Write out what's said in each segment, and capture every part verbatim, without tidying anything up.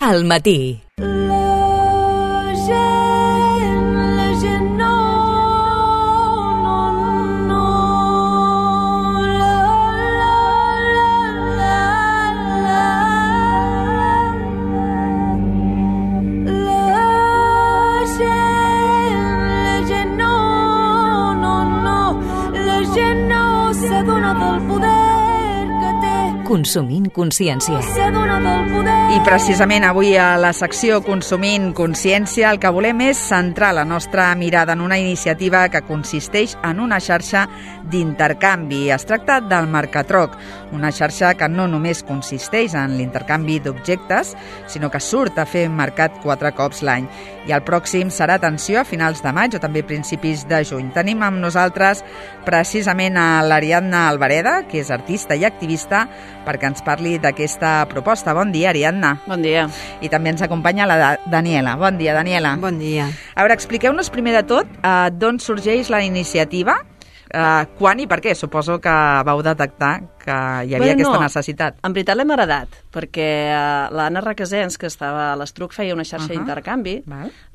al matí. Consumint consciència. I precisament avui a la secció Consumint consciència el que volem és centrar la nostra mirada en una iniciativa que consisteix en una xarxa d'intercanvi. Es tracta del Mercatroc, una xarxa que no només consisteix en l'intercanvi d'objectes, sinó que surt a fer mercat quatre cops l'any. I el pròxim serà, atenció, a finals de maig o també principis de juny. Tenim amb nosaltres precisament a l'Ariadna Albareda, que és artista i activista, perquè ens parli d'aquesta proposta. Bon dia, Ariadna. Bon dia. I també ens acompanya la Daniela. Bon dia, Daniela. Bon dia. A veure, expliqueu-nos primer de tot eh, d'on sorgeix la iniciativa, eh, quan i per què. Suposo que vau detectar que hi havia bueno, aquesta no. necessitat. En veritat l'hem heredat, perquè uh, l'Anna Requesens, que estava a l'Estruc, feia una xarxa uh -huh. d'intercanvi,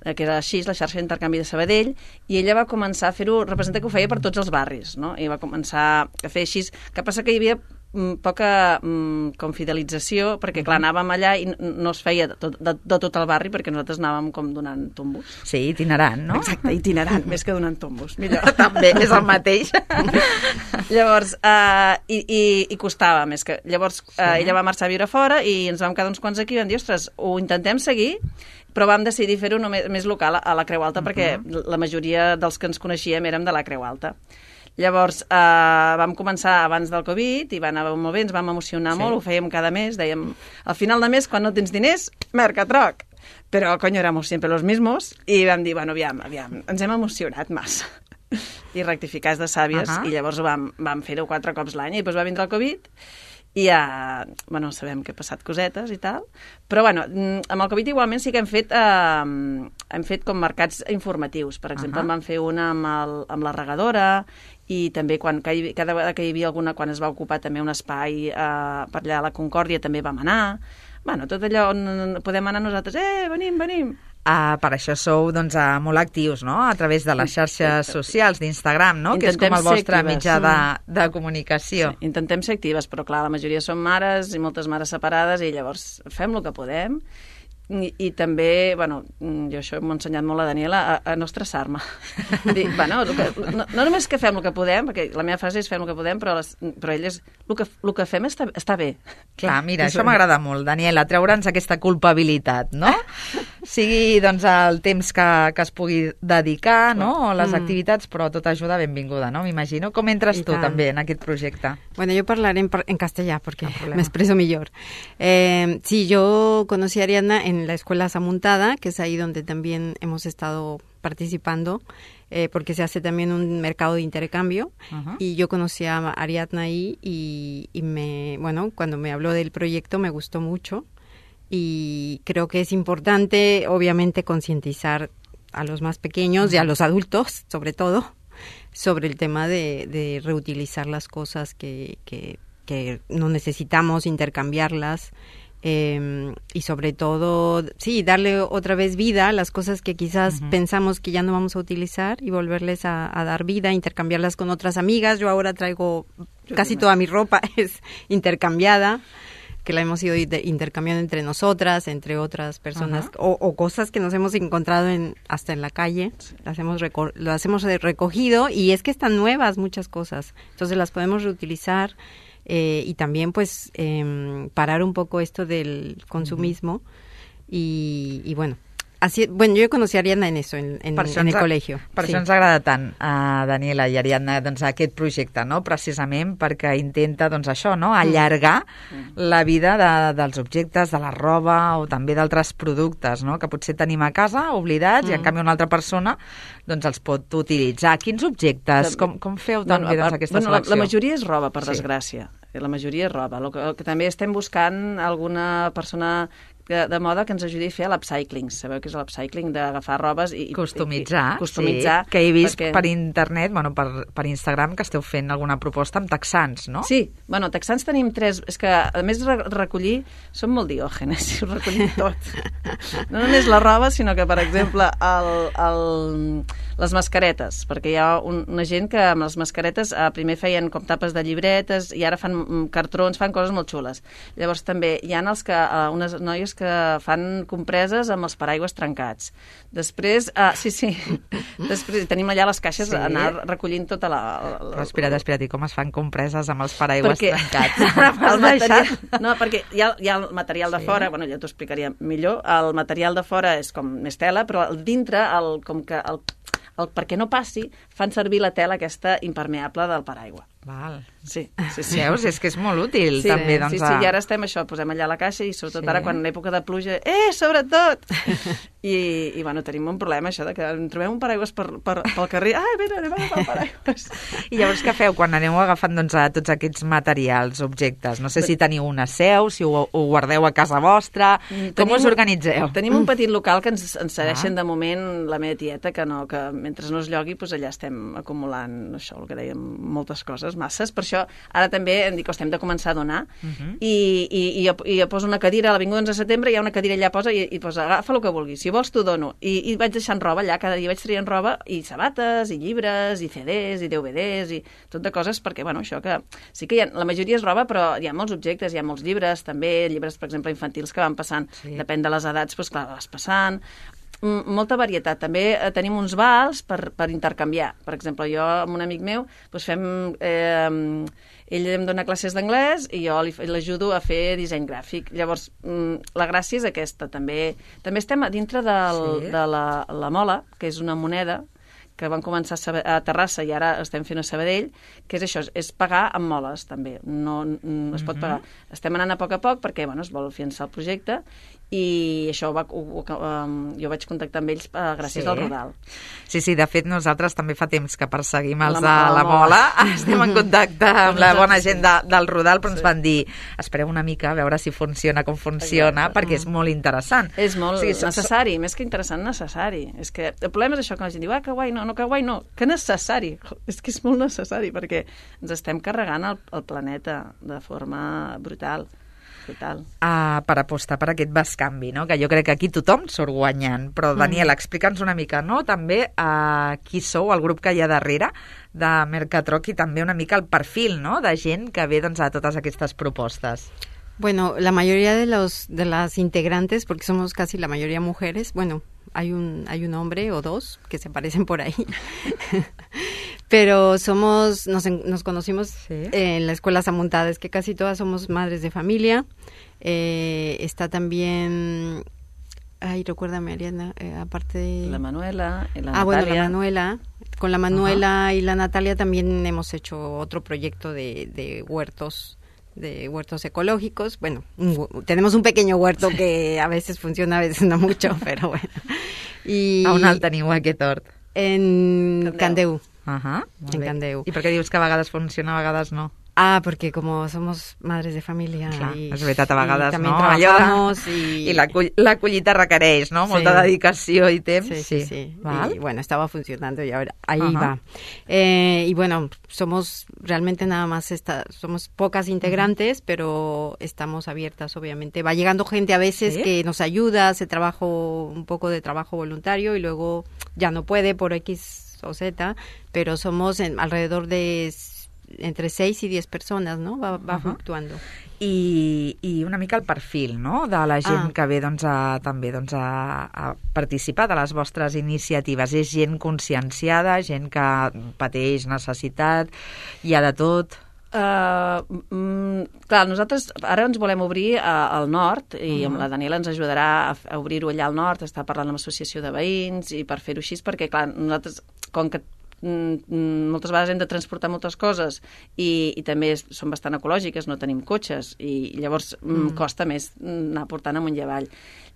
eh, que era així, la xarxa d'intercanvi de Sabadell, i ella va començar a fer-ho, representa que ho feia per tots els barris, no? I va començar a fer així, que passa que hi havia poca mm, com fidelització, perquè clar, anàvem allà i no es feia de tot, de, de tot el barri, perquè nosaltres anàvem com donant tombos. Sí, itinerant, no? Exacte, itinerant, més que donant tombos. Millor. També, és el mateix. Llavors, uh, i, i, i costava més que... Llavors, uh, sí. ella va marxar a viure fora i ens vam quedar uns quants aquí i vam dir, ostres, ho intentem seguir, però vam decidir fer-ho només, més local a la Creu Alta, uh -huh. perquè la majoria dels que ens coneixíem érem de la Creu Alta. Llavors, eh, vam començar abans del Covid i va anar molt bé, ens vam emocionar sí. molt, ho fèiem cada mes, dèiem, al final de mes, quan no tens diners, Mercatroc. Però, coño, éramos siempre los mismos, i vam dir, bueno, aviam, aviam, ens hem emocionat massa. I rectificats de sàvies, uh -huh. i llavors vam, vam fer-ho quatre cops l'any, i després va vindre el Covid, i ja, bueno, sabem que ha passat cosetes i tal, però bueno, amb el Covid igualment sí que hem fet eh, hem fet com mercats informatius, per exemple, uh -huh. en vam fer una amb, el, amb la regadora, i també quan, cada vegada que hi havia alguna, quan es va ocupar també un espai eh, per allà a la Concòrdia també vam anar, bueno, tot allò on podem anar nosaltres, eh, venim, venim. Uh, per això sou doncs, uh, molt actius, no?, a través de les xarxes socials, d'Instagram, no?, que és com el vostre mitjà de, de comunicació. Sí, intentem ser actives, però clar, la majoria són mares i moltes mares separades i llavors fem el que podem. I, i també, bueno, jo això m'ho ha ensenyat molt la Daniela, a, a no estressar-me. Dir, bueno, que, no, no només que fem el que podem, perquè la meva frase és fem el que podem, però, les, però elles, el que, el que fem està, està bé. Clar, mira, això m'agrada molt, Daniela, treure'ns aquesta culpabilitat, no? Sigui, doncs, el temps que, que es pugui dedicar, no?, o les mm. activitats, però tota ajuda benvinguda, no?, m'imagino. Com entres I tu, tant. també, en aquest projecte? Bueno, yo parlaré en, en castellà, porque no me expreso mejor. Eh, sí, yo conocí a Ariadna en en la Escuela Zamuntada, que es ahí donde también hemos estado participando, eh, porque se hace también un mercado de intercambio, uh-huh. y yo conocí a Ariadna ahí y, y me, bueno, cuando me habló del proyecto me gustó mucho y creo que es importante, obviamente, concientizar a los más pequeños uh-huh. y a los adultos, sobre todo, sobre el tema de, de reutilizar las cosas que, que, que no necesitamos, intercambiarlas. Eh, y sobre todo, sí, darle otra vez vida a las cosas que quizás uh-huh. pensamos que ya no vamos a utilizar y volverles a, a dar vida, intercambiarlas con otras amigas. Yo ahora traigo casi toda mi ropa es intercambiada, que la hemos ido intercambiando entre nosotras, entre otras personas, uh-huh. o, o cosas que nos hemos encontrado en, hasta en la calle, sí. las hemos reco- las hemos recogido, y es que están nuevas muchas cosas, entonces las podemos reutilizar. Eh, y también pues eh, parar un poco esto del consumismo uh-huh. y, y bueno, así, bueno, jo conocí a Ariadna en eso, en, en, en el col·legi. Per sí. això ens agrada tant a Daniela i Ariadna doncs, aquest projecte, no?, precisament perquè intenta doncs, això, no?, allargar mm. la vida de, dels objectes, de la roba o també d'altres productes, no?, que potser tenim a casa oblidats mm. i en canvi una altra persona doncs els pot utilitzar. Quins objectes? Com, com feu tan bueno, bé doncs, aquesta bueno, selecció? La, la majoria és roba, per sí. desgràcia. La majoria és roba. El que, el que també estem buscant alguna persona de, de moda que ens ajudi a fer l'upcycling. Sabeu què és l'upcycling? D'agafar robes i... Customitzar, i, i, customitzar sí. Que he vist perquè... per internet, bueno, per, per Instagram, que esteu fent alguna proposta amb texans, no? Sí, bueno, texans tenim tres... És que, a més de recollir, som molt diògenes, ho recollim tot. No només la roba, sinó que, per exemple, el, el, les mascaretes, perquè hi ha un, una gent que amb les mascaretes eh, primer feien com tapes de llibretes i ara fan cartrons, fan coses molt xules. Llavors també hi ha els que, eh, unes noies que fan compreses amb els paraigües trencats. Després, uh, sí, sí, després tenim allà les caixes sí. anar recollint tota la... la, la espera't, espera't, i com es fan compreses amb els paraigües perquè trencats? el material, no, perquè hi ha, hi ha el material de sí. fora, bueno, ja t'ho explicaria millor, el material de fora és com més tela, però el dintre, el, com que el, el, perquè no passi, fan servir la tela aquesta impermeable del paraigua. Val. Sí, sí, sí. Veus? És que és molt útil, sí, també. Doncs, sí, sí, i ara estem això, posem allà la caixa i sobretot sí. ara quan en època de pluja, eh, sobretot! I, i bueno, tenim un problema, això, de que trobem un paraigües per, per, pel carrer, ai, mira, anem a agafar el paraigües. I llavors què feu quan aneu agafant doncs, a tots aquests materials, objectes? No sé si teniu una seu, si ho, ho guardeu a casa vostra, com tenim, us organitzeu? Tenim un petit local que ens, ens cedeixen ah. de moment la meva tieta, que, no, que mentre no es llogui, doncs allà estem acumulant això, el que dèiem, moltes coses, masses. Per això ara també em dic que estem de començar a donar uh -huh. i, i, i, jo, i jo poso una cadira a l'Avinguda onze de setembre, hi ha una cadira allà posa i, i posa, agafa el que vulguis, si vols t'ho dono. I, i vaig deixant roba allà, cada dia vaig traient roba i sabates, i llibres, i C Ds, i D V Ds, i tot de coses, perquè, bueno, això que... Sí que hi ha, la majoria és roba, però hi ha molts objectes, hi ha molts llibres, també, llibres, per exemple, infantils que van passant, sí. depèn de les edats, doncs clar, vas passant... Molta varietat. També eh, tenim uns vals per, per intercanviar. Per exemple, jo amb un amic meu doncs fem... Eh, ell em dona classes d'anglès i jo l'ajudo a fer disseny gràfic. Llavors, la gràcia és aquesta. També també estem a dintre del, sí. de la, la Mola, que és una moneda que van començar a Terrassa i ara estem fent a Sabadell, que és això, és pagar amb moles, també. No, no es pot pagar. Estem anant a poc a poc perquè, bueno, es vol fiançar el projecte i això ho va, ho, ho, um, jo vaig contactar amb ells uh, gràcies sí. al Rodal. Sí, sí, de fet nosaltres també fa temps que perseguim els de la, la Mola, estem en contacte amb la bona gent de, del Rodal, però sí. ens van dir, espereu una mica a veure si funciona com funciona, exacte. Perquè és molt interessant. És molt o sigui, necessari, més que interessant, necessari. És que el problema és això, que la gent diu, ah, que guai, no, no, que guai, no, que necessari. És que és molt necessari, perquè ens estem carregant el, el planeta de forma brutal. Total. Uh, per apostar per aquest bescanvi, no? Que jo crec que aquí tothom surt guanyant. Però, Daniel, mm. explica'ns una mica, no? També uh, qui sou, el grup que hi ha darrere de Mercatroc i també una mica el perfil, no? De gent que ve doncs, a totes aquestes propostes. Bueno, la mayoría de los de las integrantes, porque somos casi la mayoría mujeres, bueno, hay un hay un hombre o dos que se aparecen por ahí. Pero somos, nos, nos conocimos sí. en la escuela Samuntada, es que casi todas somos madres de familia. Eh, está también, ay, recuérdame, Ariana, eh, aparte de... La Manuela y la ah, Natalia. Bueno, la Manuela. Con la Manuela uh-huh. y la Natalia también hemos hecho otro proyecto de, de huertos, de huertos ecológicos. Bueno, un, tenemos un pequeño huerto sí. que a veces funciona, a veces no mucho, pero bueno. I... A on el teniu, aquest hort? En Candeu. Ajá, en Candeu. I per què dius que a vegades funciona, a vegades no? Ah, porque como somos madres de familia Clar, y, és veritat, a vegades, y no? Trabajamos y... I la, la collita requereix, no? Molta sí. dedicació i temps. Sí, sí, sí. ¿Val? Y bueno, estaba funcionando y ahora ahí Ajá. va. Eh, y bueno, somos realmente nada más, esta, somos pocas integrantes, uh-huh. pero estamos abiertas, obviamente. Va llegando gente a veces ¿Sí? que nos ayuda, hace trabajo, un poco de trabajo voluntario y luego ya no puede por X o Z, pero somos en, alrededor de entre seis y diez persones, no? Va, va uh-huh. fluctuando. I, I una mica el perfil, no?, de la gent ah. que ve doncs, a, també doncs, a, a participar de les vostres iniciatives. És gent conscienciada, gent que pateix necessitat, hi ha de tot... Uh, mm, clar, nosaltres ara ens volem obrir a, al nord i uh-huh. amb la Daniela ens ajudarà a, a obrir-ho allà al nord, està parlant amb l'associació de veïns i per fer-ho així, perquè clar, nosaltres, com que mm, moltes vegades hem de transportar moltes coses i, i també són bastant ecològiques, no tenim cotxes i llavors mm. costa més anar portant amunt i avall.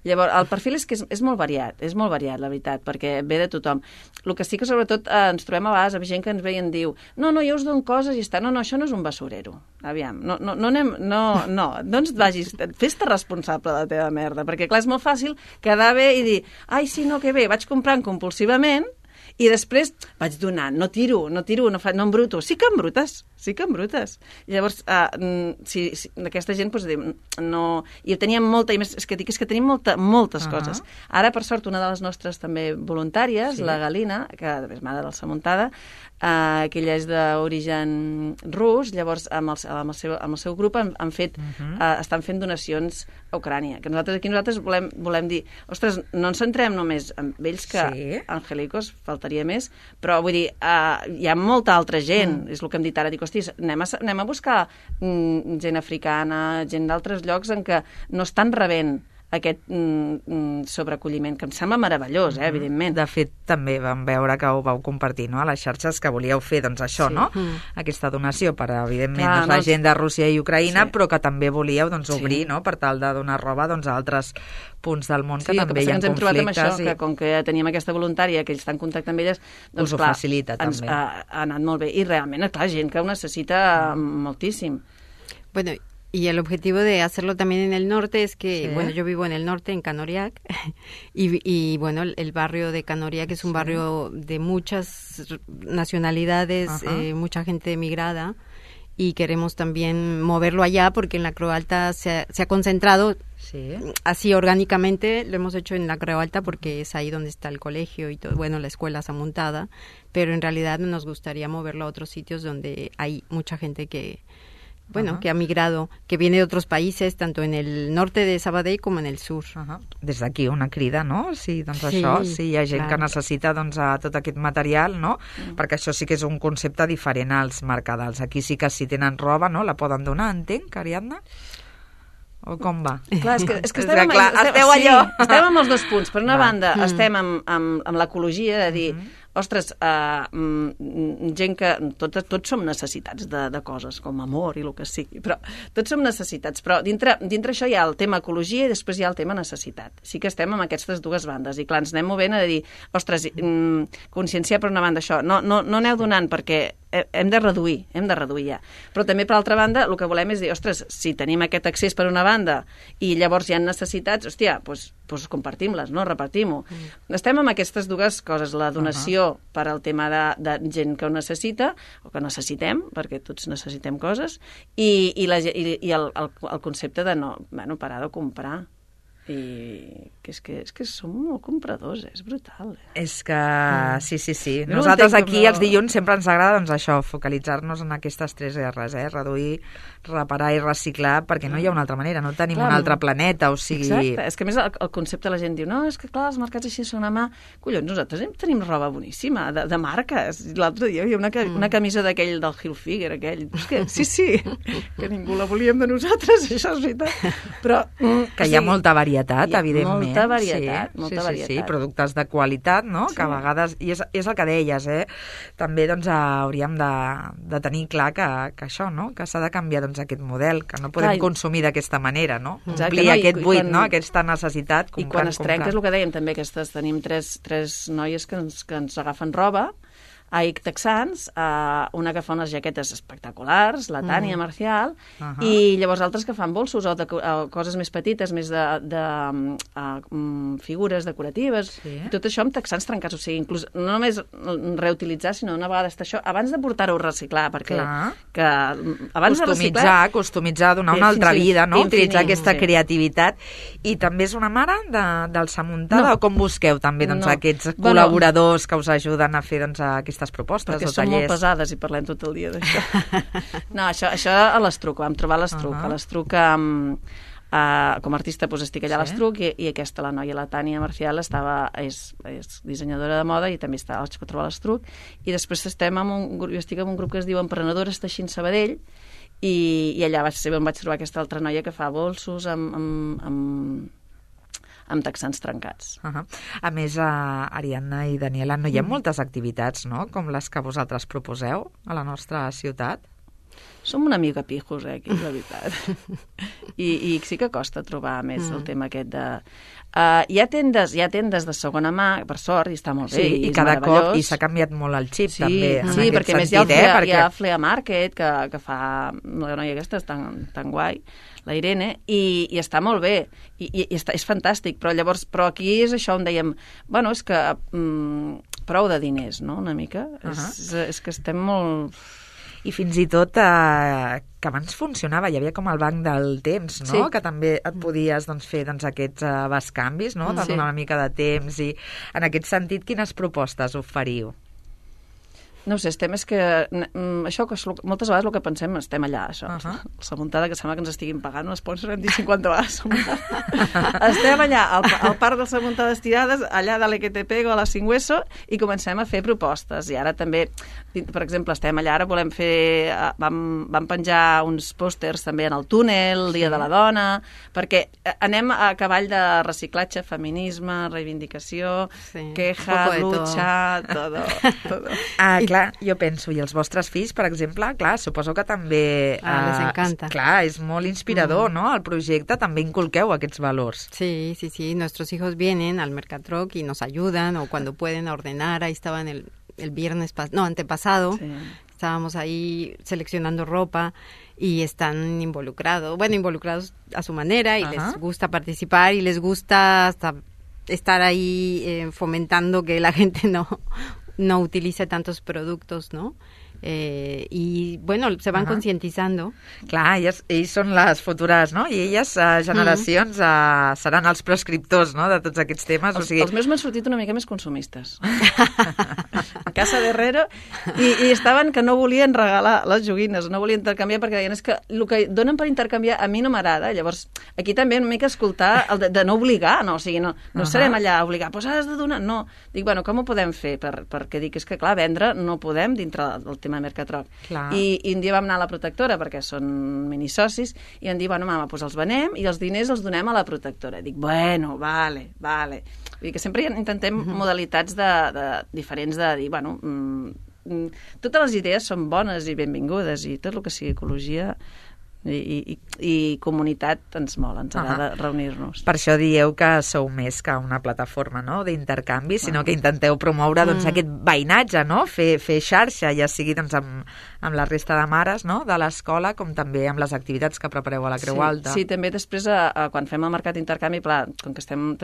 Llavors, el perfil és que és, és molt variat, és molt variat, la veritat, perquè ve de tothom. El que sí que sobretot eh, ens trobem a vegades amb gent que ens ve i en diu no, no, jo us dono coses i està, no, no, això no és un basurero. Aviam, no, no, no anem, no, no, no ens vagis, fes-te responsable de la teva merda, perquè clar, és molt fàcil quedar bé i dir, ai, sí, no, que bé, vaig comprant compulsivament i després vaig donant, no tiro, no tiro, no, fa, no embruto. Sí que embrutes, sí que embrutes. Llavors, uh, si, si aquesta gent, doncs, diu, no... I teníem molta, i més, és que dic, és que tenim molta, moltes uh -huh. coses. Ara, per sort, una de les nostres també voluntàries, sí. la Galina, que és mare de la Muntada, uh, que ella és d'origen rus, llavors amb el, amb el, seu, amb el seu grup han, han fet, uh -huh. uh, estan fent donacions a Ucrània. Que nosaltres aquí nosaltres volem, volem dir, ostres, no ens centrem només en ells, que sí. Angelicos faltaria més, però vull dir, uh, hi ha molta altra gent, mm. és el que hem dit ara, dic, hosti, anem a, anem a buscar mm, gent africana, gent d'altres llocs en què no estan rebent aquest mm, sobreacolliment, que em sembla meravellós, eh, evidentment. De fet, també vam veure que ho vau compartir, no?, a les xarxes, que volíeu fer, doncs, això, sí. no?, mm. aquesta donació per, evidentment, Clar, doncs, la no, gent de Rússia i Ucraïna, sí. però que també volíeu, doncs, obrir, sí. no?, per tal de donar roba, doncs, a altres punts del món que sí, també que hi ha ens hem conflictes. Trobat amb això, i... que com que teníem aquesta voluntària, que ells estan en contacte amb elles, doncs, us ho clar, facilita, ens també. Ha, ha anat molt bé. I realment, clar, gent que ho necessita mm. moltíssim. Bueno, y el objetivo de hacerlo también en el norte es que, sí. bueno, yo vivo en el norte, en Canoriac, y, y bueno, el, el barrio de Canoriac es un sí. barrio de muchas nacionalidades, eh, mucha gente emigrada, y queremos también moverlo allá porque en la Creu Alta se ha, se ha concentrado sí. así orgánicamente, lo hemos hecho en la Creu Alta porque es ahí donde está el colegio y todo, bueno, la escuela está montada, pero en realidad nos gustaría moverlo a otros sitios donde hay mucha gente que... Bueno, uh-huh. que ha migrado, que viene de otros países, tanto en el norte de Sabadell com en el sur. Uh-huh. Des d'aquí una crida, no? Sí, doncs sí, això, si hi ha gent clar. que necessita doncs, tot aquest material, no? Mm. Perquè això sí que és un concepte diferent als mercadals. Aquí sí que si tenen roba, no? La poden donar, entenc, Ariadna? O com va? Clar, és que, és que estem, és que, clar, estem, esteu allò. Sí, estem amb els dos punts. Per una va. banda, mm. estem amb, amb, amb l'ecologia, de dir... Mm-hmm. Ostres, uh, gent que... Tots, tots som necessitats de, de coses, com amor i el que sigui, però tots som necessitats. Però dintre, dintre això hi ha el tema ecologia i després hi ha el tema necessitat. Sí que estem amb aquestes dues bandes. I clar, ens anem movent a dir, ostres, mm, conscienciar per una banda això. No, no, no aneu donant perquè hem de reduir, hem de reduir ja. Però també, per altra banda, el que volem és dir, ostres, si tenim aquest accés per una banda i llavors hi ha necessitats, hòstia, doncs, doncs compartim-les, no? Repartim-ho. Mm. Estem amb aquestes dues coses, la donació uh-huh. per al tema de, de gent que ho necessita, o que necessitem, perquè tots necessitem coses, i, i, la, i, i el, el, el concepte de no, bueno, parar de comprar. I que és que, és que som molt compradors, eh? És brutal. Eh? És que, sí, sí, sí. No Nosaltres aquí no... els dilluns sempre ens agrada doncs, això, focalitzar-nos en aquestes tres erres, eh? Reduir, reparar i reciclar, perquè no hi ha una altra manera, no tenim clar, un altre planeta, o sigui... Exacte, és que a més el, el concepte la gent diu, no, és que clar, els mercats així són a mà... Collons, nosaltres tenim roba boníssima, de, de marques. L'altre dia hi havia una, una camisa d'aquell del Hilfiger, aquell. És que, sí, sí, que ningú la volíem de nosaltres, això és veritat. Però... Que hi ha molta varietat, evidentment. Molta varietat, sí, molta sí, varietat. Sí, sí, productes de qualitat, no? Sí. Que a vegades, i és, és el que deies, eh? També doncs, hauríem de, de tenir clar que, que això, no? Que s'ha de canviar doncs, aquest model, que no podem clar, consumir d'aquesta manera, no? Exacte, omplir no, aquest buit, quan, no? Aquesta necessitat. Comprant, I quan es trenca, és el que dèiem també, aquestes, tenim tres, tres noies que ens, que ens agafen roba, a I C Texans, uh, una que fa unes jaquetes espectaculars, la Tània mm. Marcial, uh-huh. i llavors altres que fan bolsos o, de, o coses més petites, més de, de uh, um, figures decoratives, sí. I tot això amb texans trencats, o sigui, inclús no només reutilitzar, sinó una vegada està això, abans de portar-ho a reciclar, perquè que, abans customitzar, de reciclar... Customitzar, donar una altra vida, no? Utilitzar aquesta sí. creativitat, i també és una mare de, del Samuntada, no. o com busqueu també doncs, no. aquests bueno, col·laboradors que us ajuden a fer doncs, aquestes aquestes propostes perquè o som tallers. Molt pesades i parlem tot el dia d'això. No, això, això a l'Estruc, vam trobar l'Estruc. Uh-huh. A l'Estruc, um, uh, com a artista, doncs, estic allà sí. a l'Estruc i, i aquesta, la noia, la Tània Marcial, estava, és, és dissenyadora de moda i també està a trobar a l'Estruc. I després estem amb un grup, jo estic amb un grup que es diu Emprenedores Teixint Sabadell i, i allà vaig ser on vaig trobar aquesta altra noia que fa bolsos amb, amb, amb amb texans trencats. Uh -huh. A més, uh, Ariadna i Daniela, no hi ha mm. moltes activitats, no?, com les que vosaltres proposeu a la nostra ciutat? Som una mica pijos, eh, aquí, la veritat. I, I sí que costa trobar més mm. el tema aquest de... Uh, hi ha tendes, hi ha tendes de segona mà, per sort, i està molt bé, sí, i, i cada cop, i s'ha canviat molt el xip, sí, també, en sí, aquest perquè sentit, més hi ha, el Flea, eh? Perquè... hi ha Flea Market, que, que fa la noia aquesta, és tan, tan guai, la Irene, i, i està molt bé, i, i, i està, és fantàstic, però llavors, però aquí és això on dèiem, bueno, és que mm, prou de diners, no?, una mica, uh -huh. és, és que estem molt... I fins i tot eh, que abans funcionava, hi havia com el banc del temps, no? Sí. Que també et podies doncs, fer doncs, aquests uh, bescanvis, no? De sí. donar una mica de temps, i en aquest sentit, quines propostes oferiu? No ho sé, estem, és que mm, això, que moltes vegades el que pensem, estem allà, això, uh -huh. la muntada, que sembla que ens estiguin pagant un sponsor, hem dit cinquanta vegades. Estem allà, al, al parc de les muntades tirades, allà de l'E Q T P o a la Singüeso, i comencem a fer propostes. I ara també, per exemple, estem allà, ara volem fer, vam, vam penjar uns pòsters també en el túnel, el Dia de la Dona, perquè anem a cavall de reciclatge, feminisme, reivindicació, sí. queja, lucha, todo, todo. Ah, clar, jo penso, i els vostres fills, per exemple, clar, suposo que també... Ah, les encanta. Clar, és molt inspirador, mm. ¿no? El projecte, també inculqueu aquests valors. Sí, sí, sí, nuestros hijos vienen al Mercatroc y nos ayudan, o cuando pueden a ordenar, ahí estaban el, el viernes, pas no, antepasado, sí. estábamos ahí seleccionando ropa, y están involucrados, bueno, involucrados a su manera, y Ajá. les gusta participar, y les gusta hasta estar ahí eh, fomentando que la gente no... no utilice tantos productos, ¿no? Eh, i, bueno, se van uh -huh. concientizando. Clar, ells, ells són les futures, no? I elles, uh, generacions, uh, seran els prescriptors, no?, de tots aquests temes. Els, o sigui... els meus m'han sortit una mica més consumistes. A casa d'Herrero, i, i estaven que no volien regalar les joguines, no volien intercanviar, perquè deien, és que el que donen per intercanviar a mi no m'agrada. Llavors, aquí també una mica escoltar el de, de no obligar, no? O sigui, no, no uh -huh. serem allà a obligar, doncs has de donar... No. Dic, bueno, com ho podem fer? Per, perquè dic, és que clar, vendre no podem dintre del tema Mercatroc. I, I un dia vam anar a la protectora, perquè són minisocis, i em diu, bueno, mama, doncs els venem i els diners els donem a la protectora. Dic, bueno, vale, vale. Vull dir que sempre intentem uh -huh. modalitats de, de, diferents de dir, bueno, mm, mm, totes les idees són bones i benvingudes, i tot el que sigui ecologia... I, i, i comunitat ens mola, ens agrada uh -huh. reunir-nos. Per això dieu que sou més que una plataforma, no?, d'intercanvi, sinó uh -huh. que intenteu promoure doncs, uh -huh. aquest veïnatge, no?, fer, fer xarxa, ja sigui doncs, amb, amb la resta de mares, no?, de l'escola, com també amb les activitats que prepareu a la Creu sí, Alta. Sí, també després, a, a, quan fem el mercat d'intercanvi, clar, com que estem,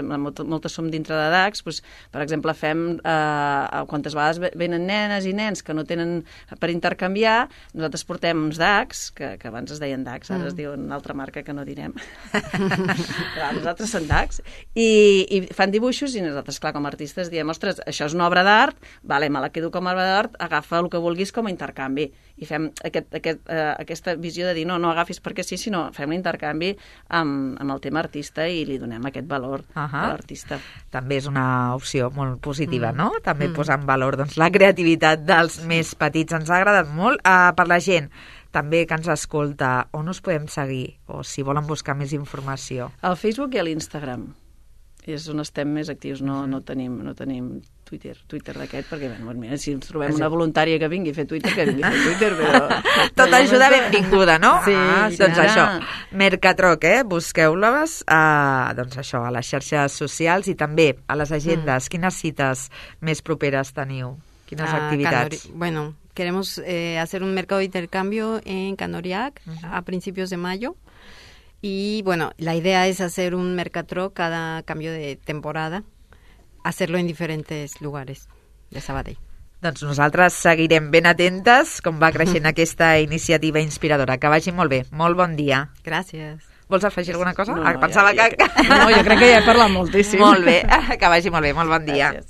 moltes som dintre de D A Cs, doncs, per exemple, fem, eh, quantes vegades venen nenes i nens que no tenen per intercanviar, nosaltres portem uns D A Cs, que, que abans es deien D A Cs, ara mm. es diu una altra marca que no direm. Clar, nosaltres som D A Cs, i, i fan dibuixos, i nosaltres, clar, com a artistes diem, ostres, això és una obra d'art, vale, me la quedo com a obra d'art, agafa el que vulguis com a intercanvi. I fem aquest, aquest, eh, aquesta visió de dir, no, no agafis perquè sí, sinó fem l'intercanvi amb, amb el tema artista i li donem aquest valor uh -huh. a l'artista. També és una opció molt positiva, mm. no? També mm. posar en valor doncs, la creativitat dels més petits. Ens ha agradat molt. Uh, per la gent també que ens escolta, on us podem seguir? O si volen buscar més informació? Al Facebook i a l'Instagram. És on estem més actius. No, no tenim... No tenim Twitter, Twitter d'aquest, perquè bueno, mira, si ens trobem una voluntària que vingui a fer Twitter, que vingui a fer Twitter, però... Tota ajuda benvinguda, no? Sí, ah, sí, doncs ja. això, Mercatroc, eh? Busqueu-les uh, doncs això, a les xarxes socials i també a les agendes. Mm. Quines cites més properes teniu? Quines uh, activitats? Canori bueno, queremos eh, hacer un mercado de intercambio en Canoriac uh -huh. a principios de mayo. Y bueno, la idea es hacer un Mercatroc cada cambio de temporada, hacerlo en diferentes lugares de Sabadell. Doncs nosaltres seguirem ben atentes com va creixent aquesta iniciativa inspiradora. Que vagi molt bé. Molt bon dia. Gràcies. Vols afegir alguna cosa? No, ah, pensava ja, ja, que... No, jo crec que ja he parlat moltíssim. Molt bé. Que vagi molt bé. Molt bon dia. Gràcies.